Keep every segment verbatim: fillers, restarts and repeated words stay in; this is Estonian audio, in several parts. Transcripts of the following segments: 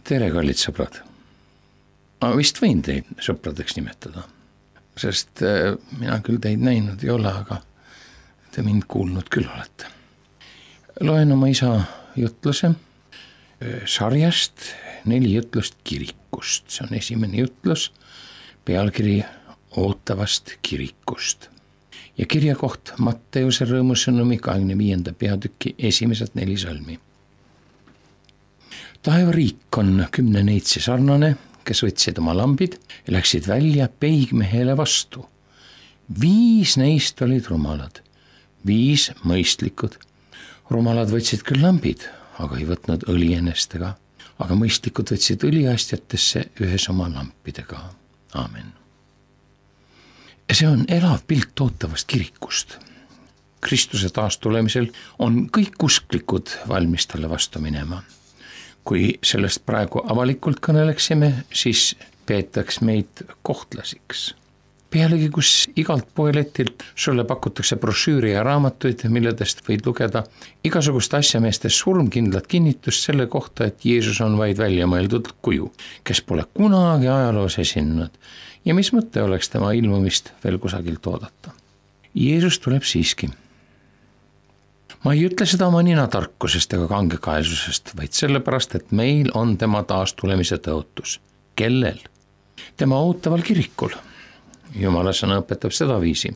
tere, kallid sõbrad. Ma vist võin teid sõpradeks nimetada, sest mina küll teid näinud ei ole, aga te mind kuulnud küll olete. Loen oma isa jutluse sarjast neli jutlust kirikust. See on esimene jutlus, pealkiri ootavast kirikust. Ja kirja koht Matteuse rõõmusõnumi kahekümne viienda peatüki esimesed neli salmi. Taevariik on kümne neitsi sarnane, kes võtsid oma lambid ja läksid välja peigmehele vastu. Viis neist olid rumalad, viis mõistlikud. Rumalad võtsid küll lambid, aga ei võtnud õli ennestega, aga mõistlikud võtsid õliastjatesse ühes oma lampidega. Aamen. See on elav pilt ootavast kirikust. Kristuse taastulemisel on kõik usklikud valmis talle vastu minema. Kui sellest praegu avalikult kõneleksime, siis peetaks meid kohtlasiks. Pealegi, kus igalt poeletilt sulle pakutakse brošüüri ja raamatuid, milledest võid lugeda igasugust asjameeste surmkindlat kinnitust selle kohta, et Jeesus on vaid välja mõeldud kuju, kes pole kunagi ajaloos esinenud ja mis mõte oleks tema ilmumist veel kusagilt oodata. Jeesus tuleb siiski. Ma ei ütle seda oma nina tarkusest ega kangekaelsusest, vaid sellepärast, et meil on tema taastulemise tõotus. Kellel? Tema ootaval kirikul. Jumala sõna õpetab seda viisi.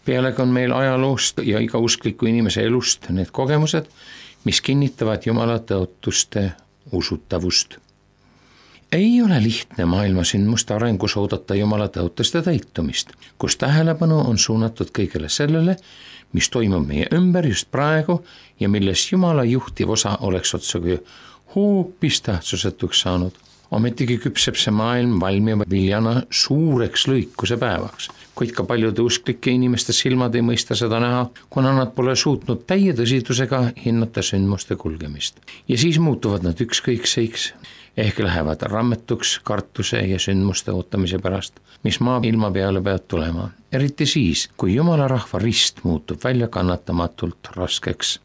Pealegi on meil ajaloost ja iga uskliku inimese elust need kogemused, mis kinnitavad Jumala tõotuste usutavust. Ei ole lihtne maailma sündmuste arengus oodata Jumala tõotuste täitumist, kus tähelepanu on suunatud kõigele sellele, mis toimub meie ümber just praegu ja milles Jumala juhtiv osa oleks otsugi hoopis tähtsusetuks saanud. Ometigi küpseb see maailm valmiva viljana suureks lõikuse päevaks, kuid ka paljude usklike inimeste silmad ei mõista seda näha, kuna nad pole suutnud täie tõsidusega hinnata sündmuste kulgemist. Ja siis muutuvad nad ükskõikseiks, ehk lähevad rammetuks kartuse ja sündmuste ootamise pärast, mis maa ilma peale peab tulema. Eriti siis, kui Jumala rahva rist muutub välja kannatamatult raskeks.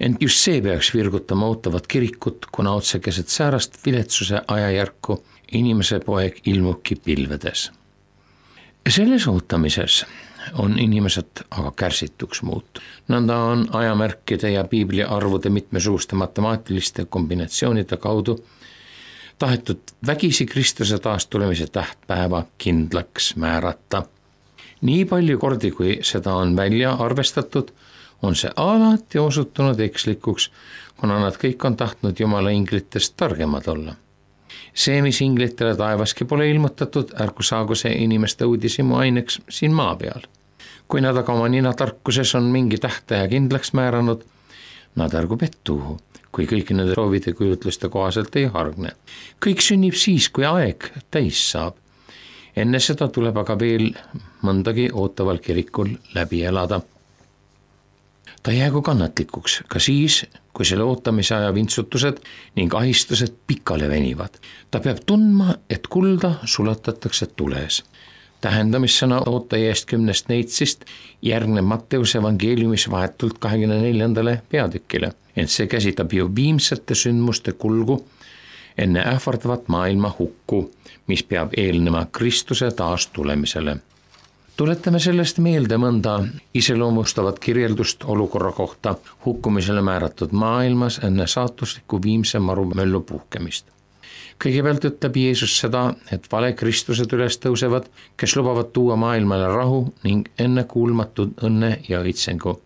Ent just see peaks virgutama ootavat kirikut, kuna otse keset säärast viletsuse ajajärku inimese poeg ilmubki pilvedes. Selles ootamises on inimesed aga kärsituks muutu. Nõnda on ajamärkide ja piibli arvude mitmesuguste matemaatiliste kombinatsioonide kaudu tahetud vägisi Kristuse taastulemise tähtpäeva kindlaks määrata. Nii palju kordi, kui seda on välja arvestatud, on see alati osutunud ekslikuks, kuna nad kõik on tahtnud Jumala inglitest targemad olla. See, mis inglitele taevaski pole ilmutatud, ärgu saagu see inimeste uudisimu aineks siin maa peal. Kui nad aga oma nina tarkuses on mingi tähtaja kindlaks määranud, nad ärgu pettuhu, kui kõik nende soovide kujutluste kohaselt ei hargne. Kõik sünnib siis, kui aeg täis saab. Enne seda tuleb aga veel mõndagi ootaval kirikul läbi elada. Ta jäägu kannatlikuks ka siis, kui selle ootamise aja vintsutused ning ahistused pikale venivad. Ta peab tundma, et kulda sulatatakse tules. Tähendamissõna ootaja eest kümnest neitsist järgneb Matteuse evangeeliumis vahetult kahekümne neljandale peatükile, ent see käsitab ju viimsete sündmuste kulgu enne ähvardavat maailma hukku, mis peab eelnema Kristuse taastulemisele. Tuletame sellest meelde mõnda iseloomustavat kirjeldust olukorra kohta hukkumisele määratud maailmas enne saatusliku viimse marumöllu puhkemist. Kõigepealt ütleb Jeesus seda, et vale Kristused üles tõusevad, kes lubavad tuua maailmale rahu ning ennekuulmatud õnne ja õitsengu.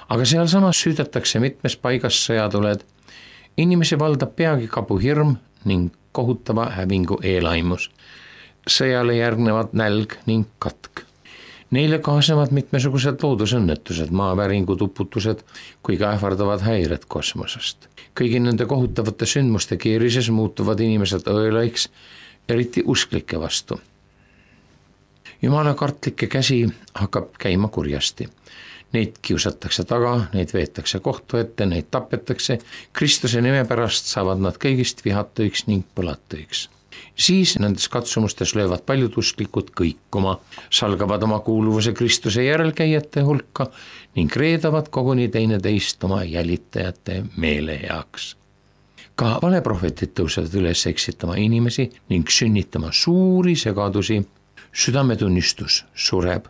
Aga seal samas süüdatakse mitmes paigas sõjatuled. Inimesi valdab peagi kabuhirm ning kohutava hävingu eelaimus. Sõjale järgnevad nälg ning katk. Neile kaasnevad mitmesugused loodusõnnetused, maaväringud, uputused, kui ka ähvardavad häired kosmosest. Kõigi nende kohutavate sündmuste keerises muutuvad inimesed õelaiks, eriti usklike vastu. Jumala kartlike käsi hakkab käima kurjasti. Neid kiusatakse taga, neid veetakse kohtu ette, neid tapetakse. Kristuse nime pärast saavad nad kõigist vihatuiks ning põlatuiks. Siis nendes katsumustes löövad paljud usklikud kõikuma, salgavad oma kuuluvuse Kristuse järelkäijate hulka ning reedavad koguni teineteist oma jälitajate meele heaks. ka valeprohvetid tõusevad üles eksitama inimesi ning sünnitama suuri segadusi. Südametunnistus sureb,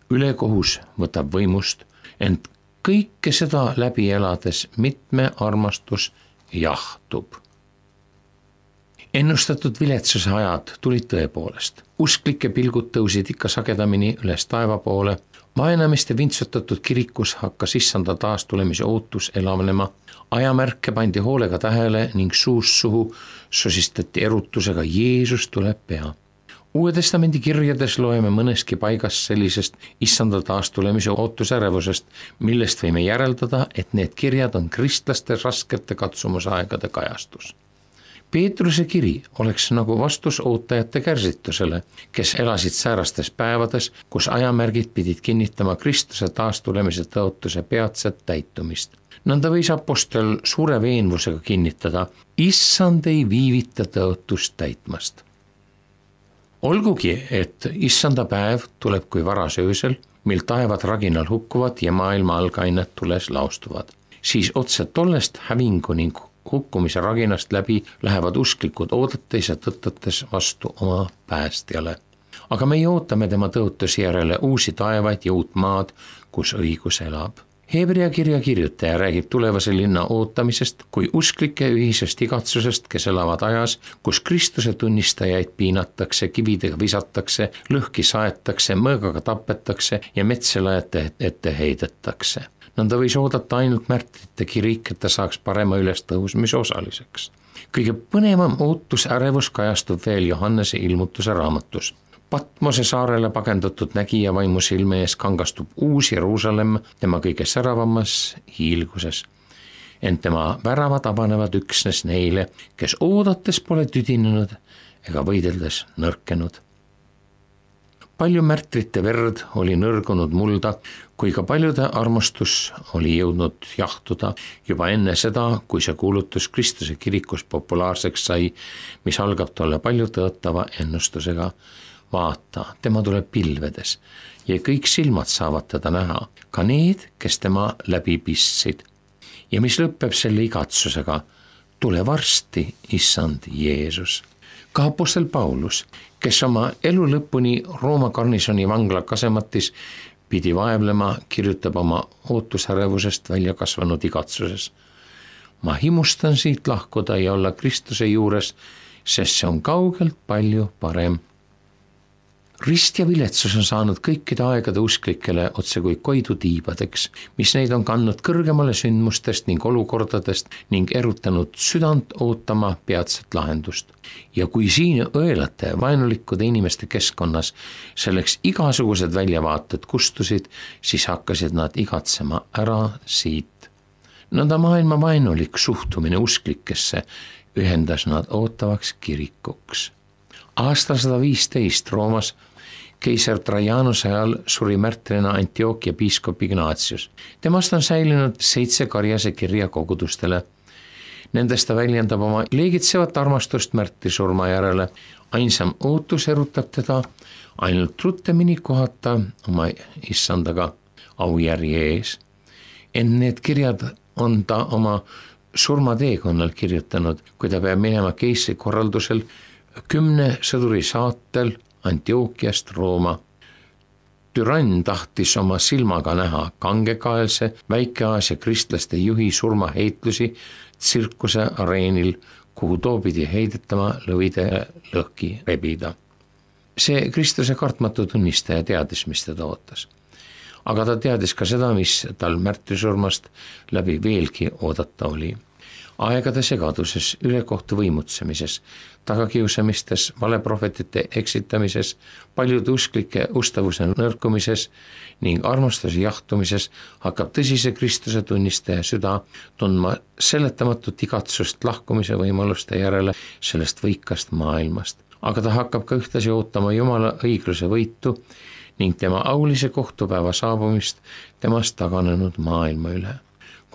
ülekohus võtab võimust, ent kõike seda läbi elades mitme armastus jahtub. Ennustatud viletsuse ajad tulid tõepoolest. Usklike pilgud tõusid ikka sagedamini üles taeva poole. Vaenamiste vintsutatud kirikus hakkas issanda taastulemise ootus elavnema. Ajamärke pandi hoolega tähele ning suust suhu sosistati erutusega Jeesus tuleb pea. Uue testamendi kirjades loeme mõneski paigas sellisest issanda taastulemise ootusärevusest, millest võime järeldada, et need kirjad on kristlaste raskete katsumusaegade kajastus. Peetruse kiri oleks nagu vastus ootajate kärsitusele, kes elasid säärastes päevades, kus ajamärgid pidid kinnitama Kristuse taastulemise tõotuse peatset täitumist. Nõnda võis apostel suure veenvusega kinnitada, issand ei viivita tõotust täitmast. Olgugi, et issanda päev tuleb kui varas öösel, mil taevad raginal hukkuvad ja maailma algained tules laustuvad, siis otse tollest hävingu ning hukkumise raginast läbi lähevad usklikud oodates ja tõttates vastu oma päästjale. Aga meie ootame tema tõotusi järele uusi taevaid ja uut maad, kus õigus elab. Hebrea kirja kirjutaja räägib tulevase linna ootamisest kui usklike ühisest igatsusest, kes elavad ajas, kus Kristuse tunnistajaid piinatakse, kividega visatakse, lõhki saetakse, mõõgaga tapetakse ja metselajate ette heidetakse. Nõnda võis oodata ainult märtrite kirik, et ta saaks parema ülestõusmise osaliseks. Kõige põnevam ootusärevus kajastub veel Johannese ilmutuse raamatus. Patmose saarele pagendatud nägija vaimu silme ees kangastub uus Jeruusalemm tema kõige säravamas hiilguses. Ent tema väravad avanevad üksnes neile, kes oodates pole tüdinenud ega võideldes nõrkenud. Palju märtrite verd oli nõrgunud mulda, kui ka paljude armastus oli jõudnud jahtuda juba enne seda, kui see kuulutus Kristuse kirikus populaarseks sai, mis algab tolle palju tõotava ennustusega. Vaata, tema tuleb pilvedes ja kõik silmad saavad teda näha, ka need, kes tema läbi pistsid. Ja mis lõpeb selle igatsusega, tule varsti, issand Jeesus. Ka apostel Paulus, kes oma elu lõpuni Rooma garnisoni vangla kasematis pidi vaevlema, kirjutab oma ootusärevusest välja kasvanud igatsuses. Ma himustan siit lahkuda ja olla Kristuse juures, sest see on kaugelt palju parem. Rist ja viletsus on saanud kõikide aegade usklikele otse kui koidu tiibadeks, mis neid on kandnud kõrgemale sündmustest ning olukordadest ning erutanud südant ootama peatset lahendust. Ja kui siin õelate vaenulikkude inimeste keskkonnas selleks igasugused väljavaated kustusid, siis hakkasid nad igatsema ära siit. Nõnda maailma vaenulik suhtumine usklikesse ühendas nad ootavaks kirikuks. Aastal sada viisteist Roomas keiser Trajanuse ajal suri märtrina Antiochia piiskop Ignatius. Temast on säilinud seitse karjase kirja kogudustele. Nendest ta väljendab oma leegitsevat armastust märtri surma järele. Ainsam ootus erutab teda ainult ruttemini kohata oma issandaga aujärje ees. Ent need kirjad on ta oma surmateekonnal kirjutanud, kui ta peab minema keisri korraldusel kümne sõduri saatel Antiochiast Rooma. Türann tahtis oma silmaga näha kangekaelse Väike-Aasia kristlaste juhi surmaheitlusi tsirkuse areenil, kuhu too pidi heidetama lõvide lõhki rebida. See Kristuse kartmatu tunnistaja teadis, mis teda ootas. Aga ta teadis ka seda, mis tal märtrisurmast läbi veelgi oodata oli. Aegade segaduses, ülekohtu võimutsemises, tagakiusamistes, valeprohvetite eksitamises, paljude usklike ustavuse nõrkumises ning armastuse jahtumises hakkab tõsise Kristuse tunnistaja süda tundma seletamatut igatsust lahkumise võimaluste järele sellest võikast maailmast. Aga ta hakkab ka ühtlasi ootama Jumala õigluse võitu ning tema aulise kohtupäeva saabumist temast taganenud maailma üle.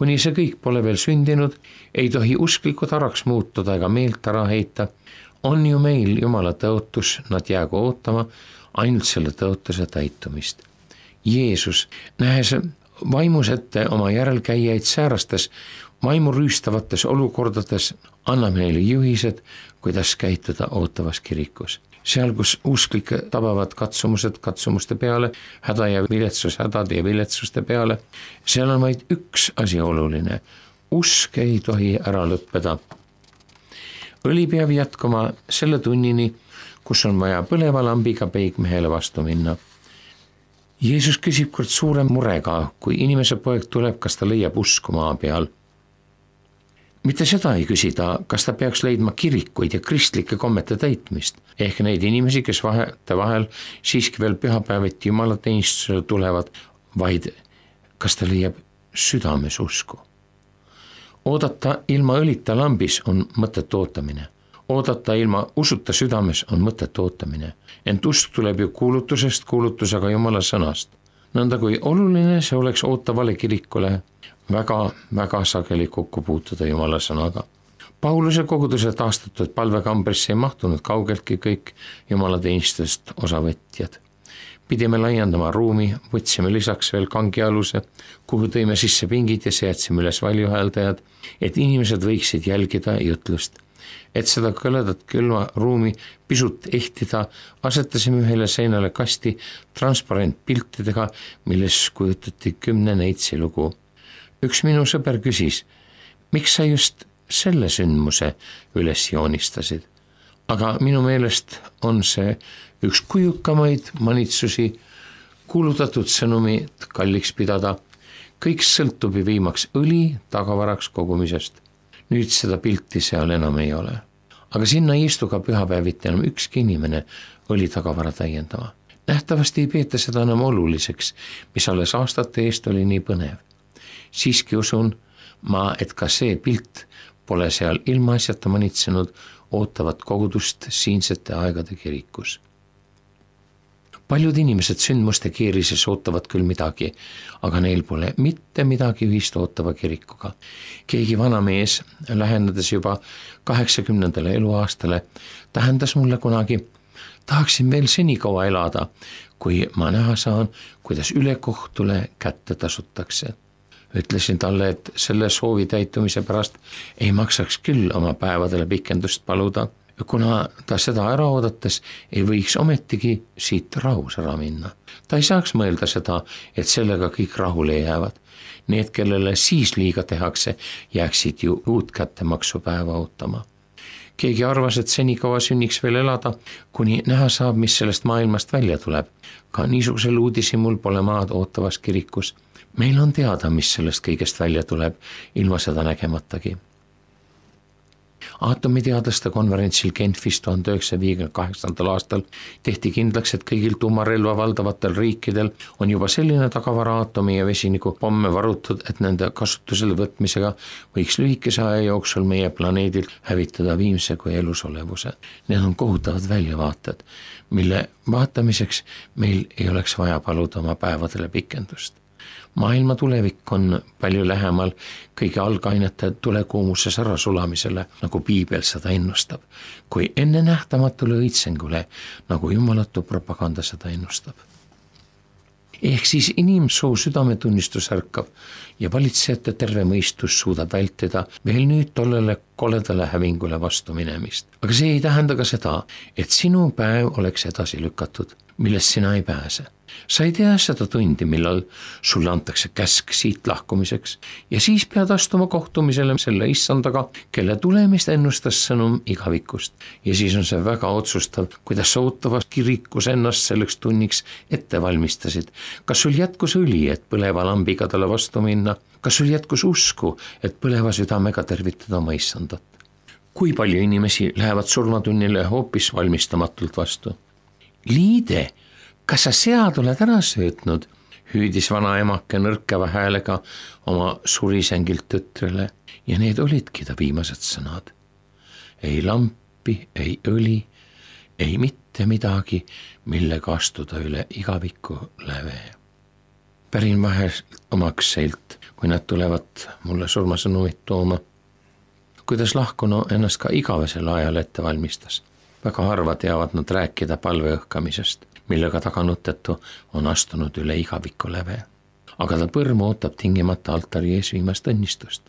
Kuni see kõik pole veel sündinud, ei tohi usklikud araks muutuda ega meelt ära heita. On ju meil Jumala tõotus, nad jäägu ootama ainult selle tõotuse täitumist. Jeesus, nähes vaimus ette oma järelkäijaid säärastes vaimu rüüstavates olukordades, annab neile juhised, kuidas käituda ootavas kirikus. Seal, kus usklikke tabavad katsumused katsumuste peale, häda ja viletsus hädade ja viletsuste peale, seal on vaid üks asi oluline. Usk ei tohi ära lõppeda. Õli peab jätkama selle tunnini, kus on vaja põleva lambiga peigmehele vastu minna. Jeesus küsib kord suure murega, kui inimese poeg tuleb, kas ta leiab usku maa peal. Mitte seda ei küsida, kas ta peaks leidma kirikuid ja kristlike kommete täitmist, ehk neid inimesi, kes vahete vahel siiski veel pühapäeviti jumalateenistusele tulevad, vaid kas ta leiab südames usku. Oodata ilma õlita lambis on mõtet ootamine. Oodata ilma usuta südames on mõtet ootamine. Ent usk tuleb ju kuulutusest kuulutusega Jumala sõnast. Nõnda kui oluline see oleks ootavale kirikule väga, väga sageli kokku puutuda Jumala sõnaga. Pauluse koguduse taastatud palvekambrisse ei mahtunud kaugeltki kõik jumalateenistust osavõtjad. Pidime laiendama ruumi, võtsime lisaks veel kangialuse, kuhu tõime sisse pingid ja seadsime üles valjuhääldajad, et inimesed võiksid jälgida jutlust. Et seda kõledat külma ruumi pisut ehtida, asetasime ühele seinale kasti transparentpiltidega, milles kujutati kümne neitsi lugu. Üks minu sõber küsis, miks sa just selle sündmuse üles joonistasid? Aga minu meelest on see üks kujukamaid manitsusi kuulutatud sõnumit kalliks pidada. Kõik sõltub ju viimaks õli tagavaraks kogumisest. Nüüd seda pilti seal enam ei ole. Aga sinna ei istu ka pühapäeviti enam ükski inimene õli tagavara täiendama. Nähtavasti ei peeta seda enam oluliseks, mis alles aastate eest oli nii põnev. Siiski usun ma, et ka see pilt pole seal ilmaasjata manitsenud ootavat kogudust siinsete aegade kirikus. Paljud inimesed sündmuste keerises ootavad küll midagi, aga neil pole mitte midagi ühist ootava kirikuga. Keegi vana mees, lähendades juba kaheksakümnendale eluaastale, tähendas mulle kunagi, tahaksin veel senikaua elada, kui ma näha saan, kuidas ülekohtule kätte tasutakse. Ütlesin talle, et selle soovi täitumise pärast ei maksaks küll oma päevadele pikendust paluda, kuna ta seda ära oodates ei võiks ometigi siit rahus ära minna. Ta ei saaks mõelda seda, et sellega kõik rahule jäävad. Need, kellele siis liiga tehakse, jääksid ju uut kättemaksupäeva ootama. Keegi arvas, et senikaua sünniks veel elada, kuni näha saab, mis sellest maailmast välja tuleb. Ka niisugusel uudisimul pole maad ootavas kirikus. Meil on teada, mis sellest kõigest välja tuleb, ilma seda nägematagi. Aatomiteadlaste konverentsil Genfis tuhande üheksasaja viiekümne kaheksandal aastal tehti kindlaks, et kõigil tuumarelva valdavatel riikidel on juba selline tagavara aatomi ja vesiniku pomme varutud, et nende kasutusele võtmisega võiks lühikese aja jooksul meie planeedil hävitada viimse kui elusolevuse. Need on kohutavad väljavaated, mille vaatamiseks meil ei oleks vaja paluda oma päevadele pikendust. Maailma tulevik on palju lähemal kõige algainete tulekuumuses ära sulamisele, nagu piibel seda ennustab, kui enne nähtamatule õitsengule, nagu jumalatu propaganda seda ennustab. Ehk siis inimsoo südametunnistus ärkab ja valitsejate terve mõistus suudab vältida veel nüüd tollele koledale hävingule vastu minemist. Aga see ei tähenda ka seda, et sinu päev oleks edasi lükatud, millest sina ei pääse. Sa ei tea seda tundi, millal sulle antakse käsk siit lahkumiseks ja siis pead astuma kohtumisele selle issandaga, kelle tulemist ennustas sõnum igavikust. Ja siis on see väga otsustav, kuidas sa ootavas kirikus ennast selleks tunniks ette valmistasid. Kas sul jätkus õli, et põleva lambiga talle vastu minna? Kas sul jätkus usku, et põleva südamega tervitada oma issandat? Kui palju inimesi lähevad surmatunnile hoopis valmistamatult vastu? Liide, kas sa sead oled ära söötnud, hüüdis vana emake nõrkeva häälega oma surisengilt tütrele ja need olidki ta viimased sõnad. Ei lampi, ei õli, ei mitte midagi, millega astuda üle igaviku läve. Pärin vahel omaks seilt, kui nad tulevad mulle surmasõnumit tooma, kuidas lahkunu ennast ka igavesel ajal ette valmistas. Väga harva teavad nad rääkida palveõhkamisest, millega taganuttetu on astunud üle igaviku läve. Aga ta põrm ootab tingimata altari ees viimast õnnistust.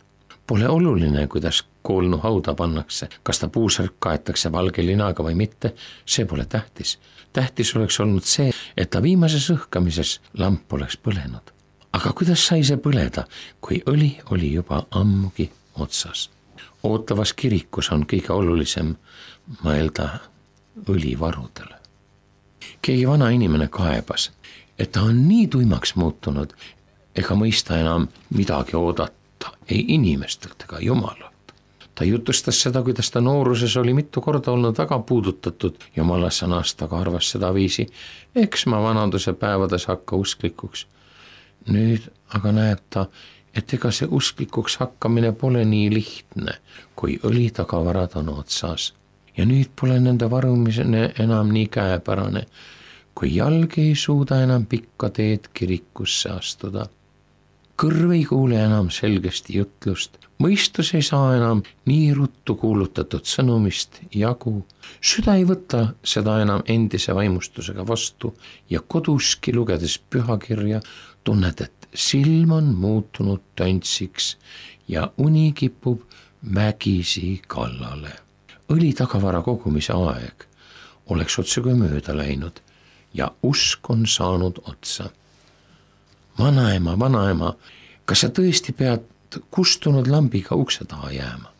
Pole oluline, kuidas koolnu hauda pannakse, kas ta puusärk kaetakse valge linaga või mitte, see pole tähtis. Tähtis oleks olnud see, et ta viimases õhkamises lamp oleks põlenud. Aga kuidas sai see põleda, kui õli oli juba ammugi otsas? Ootavas kirikus on kõige olulisem mõelda õlivarudele. Keegi vana inimene kaebas, et ta on nii tuimaks muutunud, ega mõista enam midagi oodata, ei inimestelt ega Jumalalt. Ta jutustas seda, kuidas ta nooruses oli mitu korda olnud väga puudutatud Jumala sõnast, aga arvas seda viisi, eks ma vanaduse päevades hakka usklikuks. Nüüd aga näeb ta, et ega see usklikuks hakkamine pole nii lihtne, kui õlitagavarad on otsas. Ja nüüd pole nende varumine enam nii käepärane, kui jalg ei suuda enam pikka teed kirikusse astuda. Kõrv ei kuule enam selgesti jutlust, mõistus ei saa enam nii ruttu kuulutatud sõnumist jagu, süda ei võta seda enam endise vaimustusega vastu ja koduski lugedes pühakirja tunned, et silm on muutunud töntsiks ja uni kipub vägisi kallale. Õlitagavara kogumise aeg oleks otsuga mööda läinud ja usk on saanud otsa. Vanaema, vanaema, kas sa tõesti pead kustunud lambiga ukse taha jääma?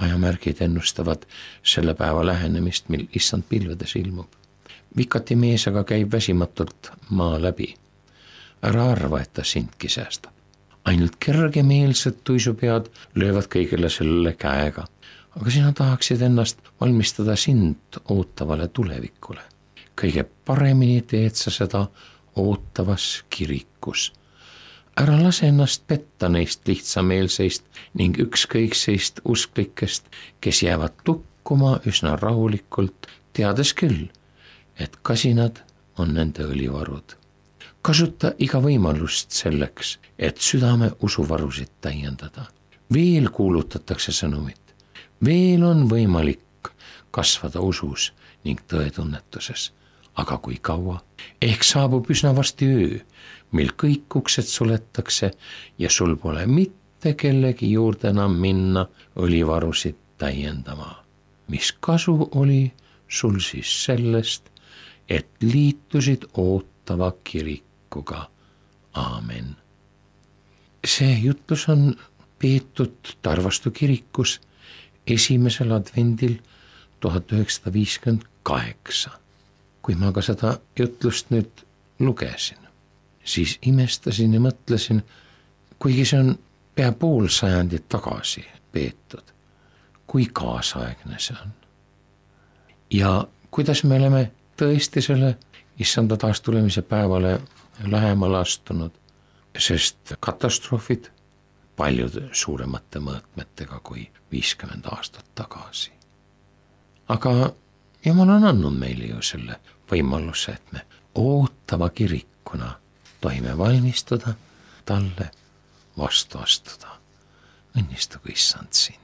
Ajamärgid ennustavad selle päeva lähenemist, mil issand pilvedes ilmub. Vikati mees aga käib väsimatult maa läbi. Ära arva, et ta sindki säästab. Ainult kergemeelsed tuisupead löövad kõigile sellele käega. Aga sina tahaksid ennast valmistada sind ootavale tulevikule. Kõige paremini teed sa seda ootavas kirikus. Ära lase ennast petta neist lihtsameelseist ning ükskõikseist usklikest, kes jäävad tukkuma üsna rahulikult, teades küll, et kasinad on nende õlivarud. Kasuta iga võimalust selleks, et südame usuvarusid täiendada. Veel kuulutatakse sõnumit. Veel on võimalik kasvada usus ning tõetunnetuses. Aga kui kaua? Ehk saabub üsna varsti öö, mil kõik uksed suletakse ja sul pole mitte kellegi juurde enam minna õlivarusid täiendama. Mis kasu oli sul siis sellest, et liitusid ootava kirikuga? Aamen. See jutlus on peetud Tarvastu kirikus esimesel advendil tuhat üheksasada viiskümmend kaheksa. Kui ma ka seda jutlust nüüd lugesin, siis imestasin ja mõtlesin, kuigi see on pea pool sajandit tagasi peetud, kui kaasaegne see on. Ja kuidas me oleme tõesti selle issanda taastulemise päevale lähemale astunud, sest katastroofid paljud suuremate mõõtmetega kui viiskümmend aastat tagasi. Aga Jumal on andnud meile ju selle võimaluse, et me ootava kirikuna tohime valmistuda talle vastu astuda. Õnnistagu issand sind.